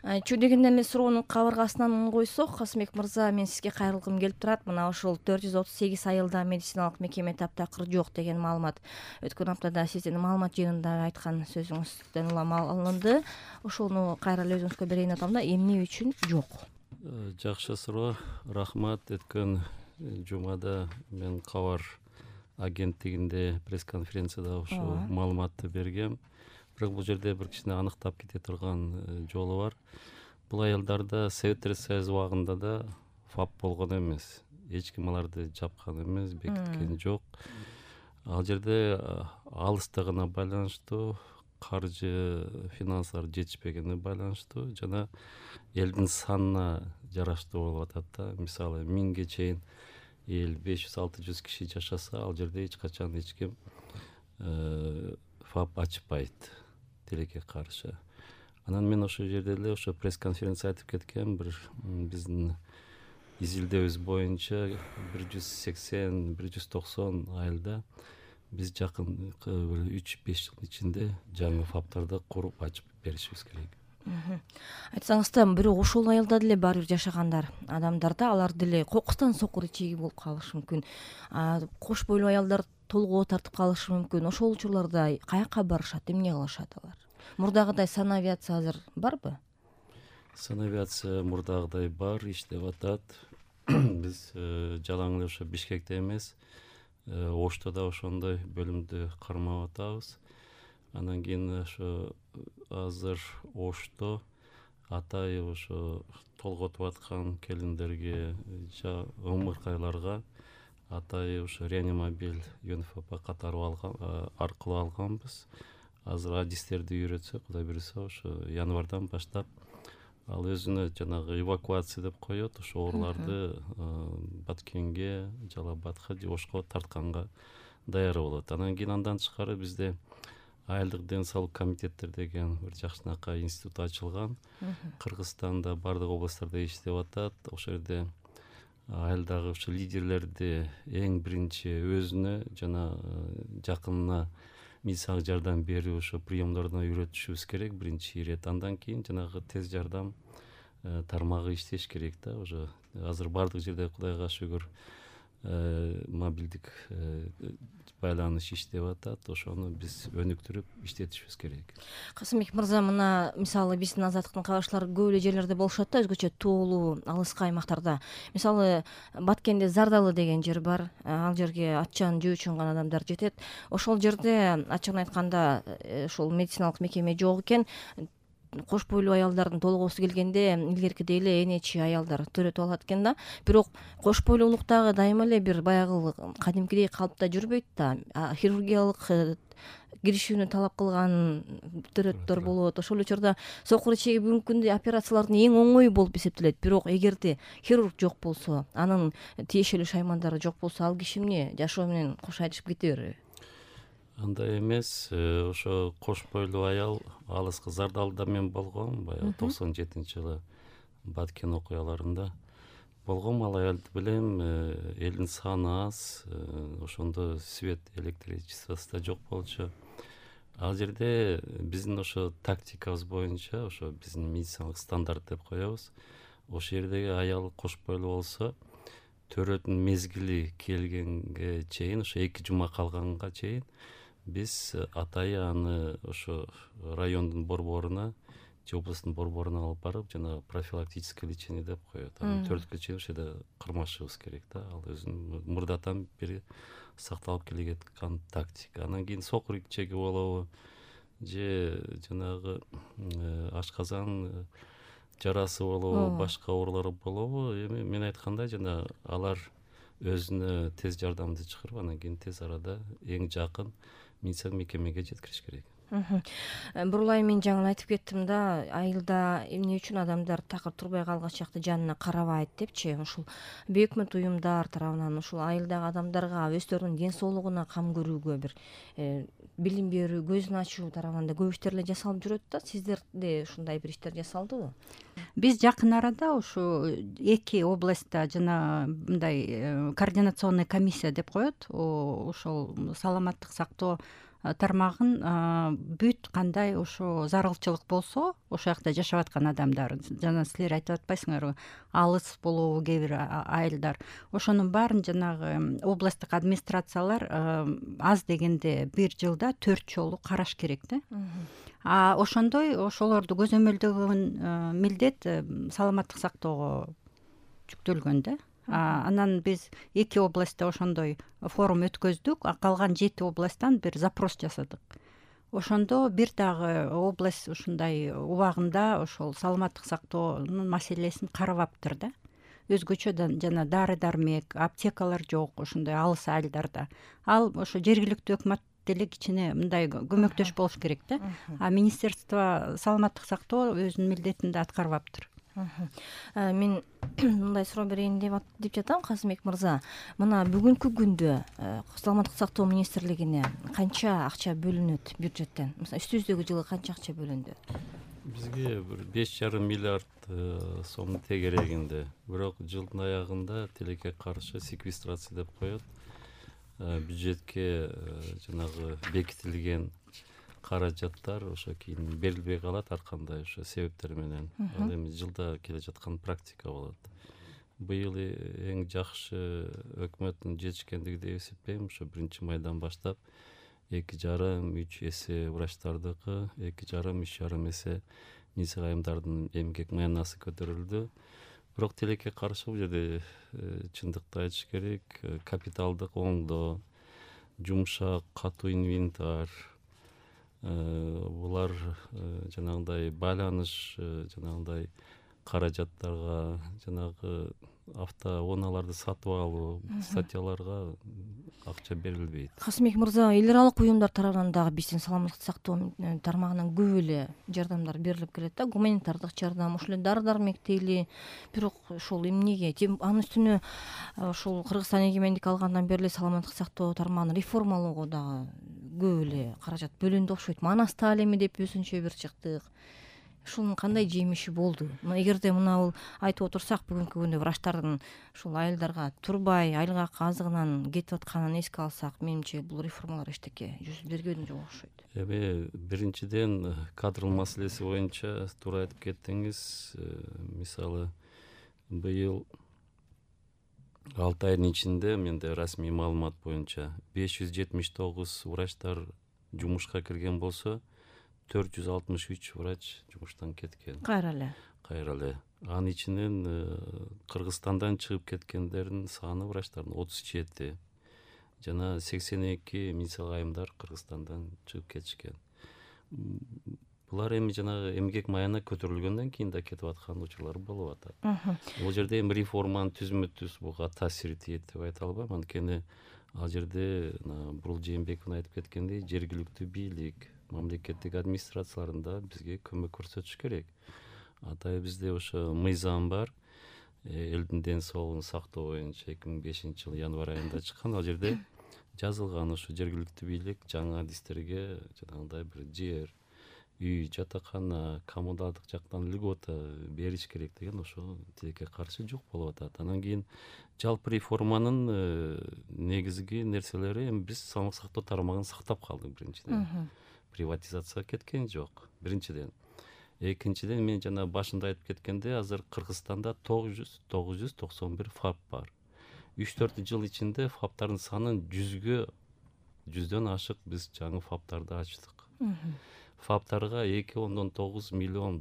Чү дегенде эле суроонун кабыргасынан койсок, Касымбек мырза, мен сизге кайрылгым келип турат. Мына ошол 438 айылда медициналык мекеме таптакыр жок деген маалымат өткөн аптада сиздин маалымат жыйынында айткан сөзүңүздөн улам алынды. Ошону кайра эле өзүңүзгө берейин атам да, эмне үчүн жок? Жакшы суроо, рахмат. Өткөн жумада мен кабар агенттигинде пресс-конференцияда ушул маалыматты бергем. Бирок бул жерде бир кичине аныктап кете турган жолу бар. Бул аялдарда Советтер Союзу убагында да ФАП болгон эмес. Эч ким аларды жапкан эмес, бекиткен жок. Ал жерде алыстыгына байланыштуу, каржы, финансылар жетишпегенине байланыштуу жана элдин санына жараштуу болуп атат да. Мисалы 1000ге чейин эл 500-600 киши жашаса, ал жерде эч качан эч ким ФАП ачпайт тилекке каршы. Анан мен ошол жерде эле ошо пресс-конференция айтып кеткем, бир биздин изилдөөбүз боюнча 180-190 айылда биз жакын 3-5 жылдын ичинде жаңы ФАПтарды куруп ачып беришибиз керек. Айтсаңыз да, бирок ошол айылда деле баары бир жашаган адамдарда алар деле кокустан сокур ичеги болуп калышы мүмкүн. Кош бойлуу аялдар толгоо тартып калышы мүмкүн. Ошол учурларда каяка барышат, эмне кылышат алар? Мурдагыдай санавиация азыр барбы? Санавиация мурдагыдай бар, иштеп атат. Биз жалаң эле ошо Бишкекте эмес, Ошто да ошондой бөлүмдү кармап атабыз. Анан кийин ошо азыр Ошто атай ошо толготуп аткан келиндерге, ымыркайларга атай ошо реанимобиль ЮНФП аркылуу алганбыз. Азыр адистерди үйрөтсө, Кудай буйруса, ошо январдан баштап ал өзүнө жанагы эвакуация деп коет, ошо ооруларды Баткенге, Жалал Абадка же Ошко тартканга даяр болот. Анан кийин андан тышкары бизде айылдык ден соолук комитеттер деген бир жакшынакай институт ачылган. Кыргызстанда бардык областтарда иштеп атат. Ошол жерде айылдагы ошо лидерлерди эң биринчи өзүнө жана жакынына медициналык жардам берүү ошо приемдоруна үйрөтүшүбүз керек биринчи ирет. Андан кийин жанагы тез жардам тармагы иштеш керек да. Уже азыр бардык жерде Кудайга шүгүр мобилдик байланыш иштеп атат. Ошону биз өнүктүрүп иштетишибиз керек. Касымбек мырза, мына мисалы биздин азаттыктын кабарчылары көп эле жерлерде болушат да, өзгөчө тоолуу, алыскы аймактарда. Мисалы Баткенде Зардалы деген жер бар. Ал жерге ачан жөө үчүн гана адамдар жетет. Ошол жерде ачыгын айтканда ошол медициналык мекеме жок экен. Кош бойлуу аялдардын толгоосу келгенде илгеркидей эле энечи аялдар төрөтүп алат экен да. Бирок кош бойлуулуктагы дайыма эле бир баягы кадимкидей калыпта жүрбөйт да. Хирургиялык киришүүнү талап кылган төрөттөр болот. Ошол учурда сокур ичеги бүгүнкү күндө операциялардын эң оңой болуп эсептелет. Бирок эгерде хирург жок болсо, анын тиешелүү шаймандары жок болсо, ал киши эмне жашоо менен кош айрышып кете береби? Андай эмес. Ошо кош бойлуу аял алыскы Зардалда мен болгом, баягы 97-жылы Баткен окуяларында болгом. Ал аялды билем, элдин саны аз, ошондо свет, электричествосы да жок болчу. Ал жерде биздин ошо тактикабыз боюнча, ошо биздин медициналык стандарт деп коебуз. Ошол жердеги аял кош бойлуу болсо, төрөтүн мезгили келгенге чейин, ошо 2 жума калганга чейин биз атайы аны ошо райондун борборуна же областтын борборуна алып барып, жана профилактическое лечение деп коет. Аны 4 чейин ошол жерде кармашыбыз керек да. Ал өзүнүн мурдатан бери сакталып келе жаткан тактика. Анан кийин сокур ичеги болобу же жанагы ашказан жарасы болобу, башка оорулар болобу, эми мен айткандай жана алар өзүнө тез жардамды чакырып, анан кийин тез арада эң жакын медициналык мекемеге жеткириш керек. Бурулай, мен жаңы айтып кеттим да, айылда эмне үчүн адамдар такыр турбай калгач жакта жанына карабайт депчи. Ушул бейөкмөт уюмдар тарабынан ушул айылдагы адамдарга өздөрүнүн ден соолугуна кам көрүүгө бир билим берүү, көзүн ачуу тарабынан да көп иштер эле жасалып жүрөт да. Сиздерде ушундай бир иштер жасалдыбы? Биз жакын арада ушу 2 областта жана мындай координационный комиссия деп коет. Ошол саламаттык сактоо тармагын бүт кандай ошо зарылчылык болсо ошол жакта жашап аткан адамдар, жана силер айтып атпайсыңарбы, алыс болобу кээ бир айылдар, ошонун баарын жанагы областтык администрациялар аз дегенде бир жылда 4 жолу караш керек да. Ошондой ошолорду көзөмөлдөгөн милдет саламаттык сактоого жүктөлгөн да. Анан биз 2 областта ошондой форум өткөздүк, калган 7 областтан бир запрос жасадык. Ошондо бир дагы область ушундай убагында ошол саламаттык сактоонун маселесин карабаптыр да. Өзгөчө жана дары дармек, аптекалар жок ошондой алыс айылдарда. Ал ошо жергиликтүү өкмөт деле кичине мындай көмөктөш болуш керек да. Министерство саламаттык сактоо өзүнүн милдетин да аткарбаптыр. Мен мындай суроо берейин деп жатам, Казымбек мырза. Мына бүгүнкү күндө саламаттык сактоо министрлигине канча акча бөлүнөт бюджеттен? Мисалы, үстүбүздөгү жылы канча акча бөлүндү? Бизге бир 5,5 миллиард сом тегерегинде. Бирок жылдын аягында тилекке каршы секвестрация деп коет. Бюджетке жанагы бекитилген каражаттар ошо кийин берилбей калат, ар кандай ошо себептер менен. Ал эми жылда келе жаткан практика болот. Быйыл эң жакшы өкмөттүн жетишкендиги деп эсептейм. Ошо 1-майдан баштап 2,5-3 эсе врачтардыкы, 2,5-3,5 эсе низа айымдардын эмгек маянасы көтөрүлдү. Бирок тилекке каршы бул жерде чындыкты айтыш керек, капиталдык оңдоо, жумшак, катуу инвентарь, булар жанагындай байланыш, жанагындай каражаттарга, жанагы автоунааларды сатып алуу, статьяларга акча берилбейт. Касымбек мырза, эл аралык уюмдар тарабынан дагы биздин саламаттык сактоо тармагынан көп эле жардамдар берилип келет да, гуманитардык жардам, ошол эле дары дармек дейли. Бирок ошол эмнеге, анын үстүнө ошол Кыргызстан эгемендик алгандан бери эле саламаттык сактоо тармагын реформалоого дагы көп эле каражат бөлүндү окшойт. Манас таалими деп өзүнчө бир чыктык. Ушунун кандай жемиши болду? Эгерде мына айтып отурсак, бүгүнкү күндө врачтардын ушул айылдарга турбай айылга азыгынан кетип атканын эске алсак, менимче бул реформалар эчтеке жүз бергөн жок окшойт. Эми биринчиден кадрлар маселеси боюнча туура айтып кеттиңиз. Мисалы, быйыл 6 айдын ичинде менде расмий маалымат боюнча 579 врачтар жумушка кирген болсо, 463 врач жумуштан кеткен. Кайра эле. Анын ичинен Кыргызстандан чыгып кеткендердин саны врачтардын 37, жана 82 медицина айымдар Кыргызстандан чыгып кетишкен. Булар эми жанагы эмгек маяна көтөрүлгөндөн кийин да кетип аткан учурлар болуп атат. Бул жерде эми реформанын түзмө-түз буга таасири тийет деп айта албайм. Анткени ал жерде Бурул Жээнбеков айтып кеткендей, жергиликтүү бийлик, мамлекеттик администрацияларында бизге көмөк көрсөтүш керек. Атайы бизде ошо мыйзам бар. Элдин ден соолугун сактоо боюнча 2005-жылы январь айында чыккан. Ал жерде жазылган ошо жергиликтүү бийлик жаңы адистерге жанагындай бир жер, үй, жатакана, коммуналдык жактан льгота бериш керек деген ошо тилекке каршы жок болуп атат. Анан кийин жалпы реформанын негизги нерселери эми биз саламаттык сактоо тармагын сактап калдык биринчиден. Приватизацияга кеткен жок биринчиден. Экинчиден, мен жана башында айтып кеткенде, азыр Кыргызстанда 991 ФАП бар. 3-4 жыл ичинде ФАПтардын санын 100дөн ашык биз жаңы ФАПтарды ачтык. ФАПтарга $2.9 миллион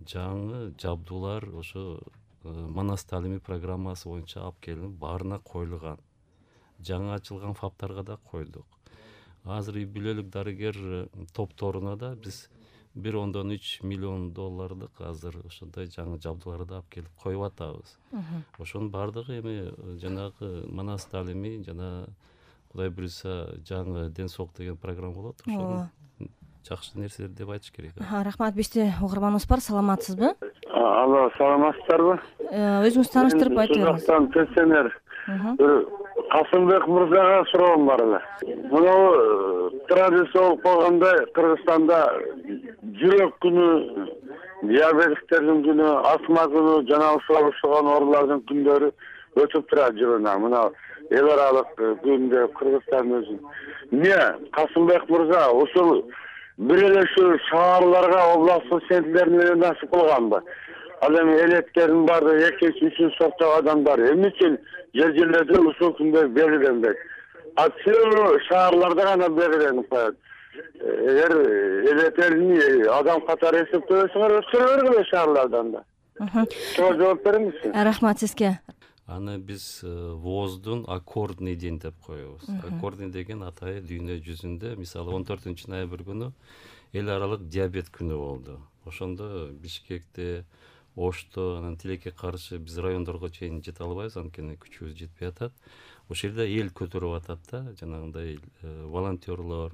жаңы жабдуулар ошо Манас таалими программасы боюнча алып келинип, баарына коюлган. Жаңы ачылган ФАПтарга да койдук. Азыр үй бүлөлүк дарыгер топторуна да биз $1.3 миллион азыр ошондой жаңы жабдууларды алып келип коюп атабыз. Ошонун баардыгы эми жанагы Манас таалими жана Кудай буйруса жаңы ден соолук деген программа болот. Ошонун жакшы нерселер деп айтыш керек. Рахмат. Бизде угарманыбыз бар. Саламатсызбы? Алло, саламатсыздарбы? Өзүңүз тааныштырып айтып бериңиз. Пенсионер. Касымбек мырзага суроом бар эле. Мына традиция болуп калгандай Кыргызстанда жүрөк күнү, диабетиктердин күнү, астма күнү, жана ушул оорулардын күндөрү өтүп турат жылына. Мына эл аралык күндө Кыргызстан өзүн. Эмне Касымбек мырза ушул бир эле ушул шаарларга областтык центрлерин эле насип кылганбы? Ал эми элеттердин баардыгы экинчи, үчүнчү сорттогу адамдар эмне үчүн жерлерде ушул күндө белгиленбек? Ачуу шаарларда гана белгиленип коет. Эгер элеттерин адам катары эсептебесиңер өткөрө бергиле шаарлардан да. Суга жооп бериңизчи. Рахмат сизге. Аны биз ВОЗдун аккордный день деп коебуз. Аккордный деген атайы дүйнө жүзүндө мисалы 14 ноябрь күнү эл аралык диабет күнү болду. Ошондо Бишкекте, Ошто, анан тилекке каршы биз райондорго чейин жете албайбыз, анткени күчүбүз жетпей атат. Ошол жерде эл көтөрүп атат да, жанагындай волонтерлор,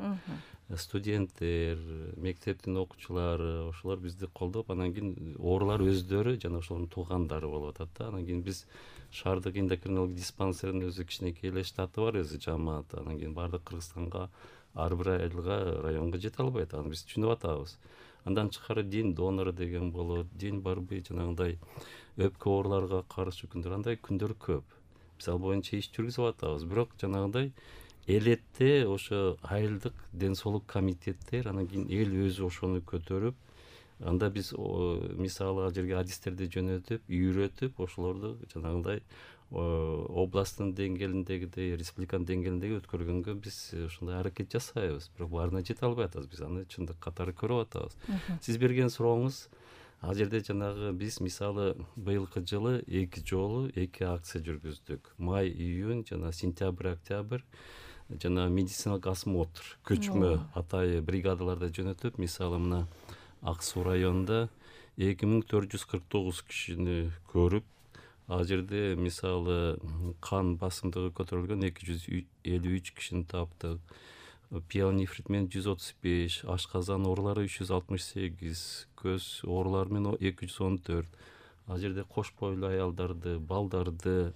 студенттер, мектептин окуучулары, ошолор бизди колдоп, анан кийин оорулар өздөрү жана ошолордун туугандары болуп атат да. Анан кийин биз шаардык эндокринология диспансеринин өзү кичинекей эле штаты бар, өзү жамаат. Анан кийин баардык Кыргызстанга ар бир айылга, районго жете албайт. Аны биз түшүнүп атабыз. Андан тышкары день донора деген болот, день борьбы жанагындай өпкө ооруларга каршы күндөр, андай күндөр көп. Биз ал боюнча иш жүргүзүп атабыз. Бирок жанагындай элетте ошо айылдык ден соолук комитеттер, анан кийин эл өзү ошону көтөрүп, анда биз мисалы ал жерге адистерди жөнөтүп, үйрөтүп, ошолорду жанагындай областтын деңгээлиндегидей, республиканын деңгээлиндеги өткөргөнгө биз ошондой аракет жасайбыз. Бирок баарына жете албай атабыз. Биз аны чындык катары көрүп атабыз. Сиз берген сурооңуз, ал жерде жанагы биз мисалы быйылкы жылы 2 жолу 2 акция жүргүздүк. Май, июнь жана сентябрь, октябрь жана медициналык осмотр, көчмө атайы бригадаларда жөнөтүп, мисалы мына Ак Суу районунда 2449 кишини көрүп, ал жерде мисалы кан басымдыгы көтөрүлгөн 253 кишини таптык. Пиелонефрит менен 135, ашказан оорулары 368, көз оорулары менен 214. Ал жерде кош бойлуу аялдарды, балдарды,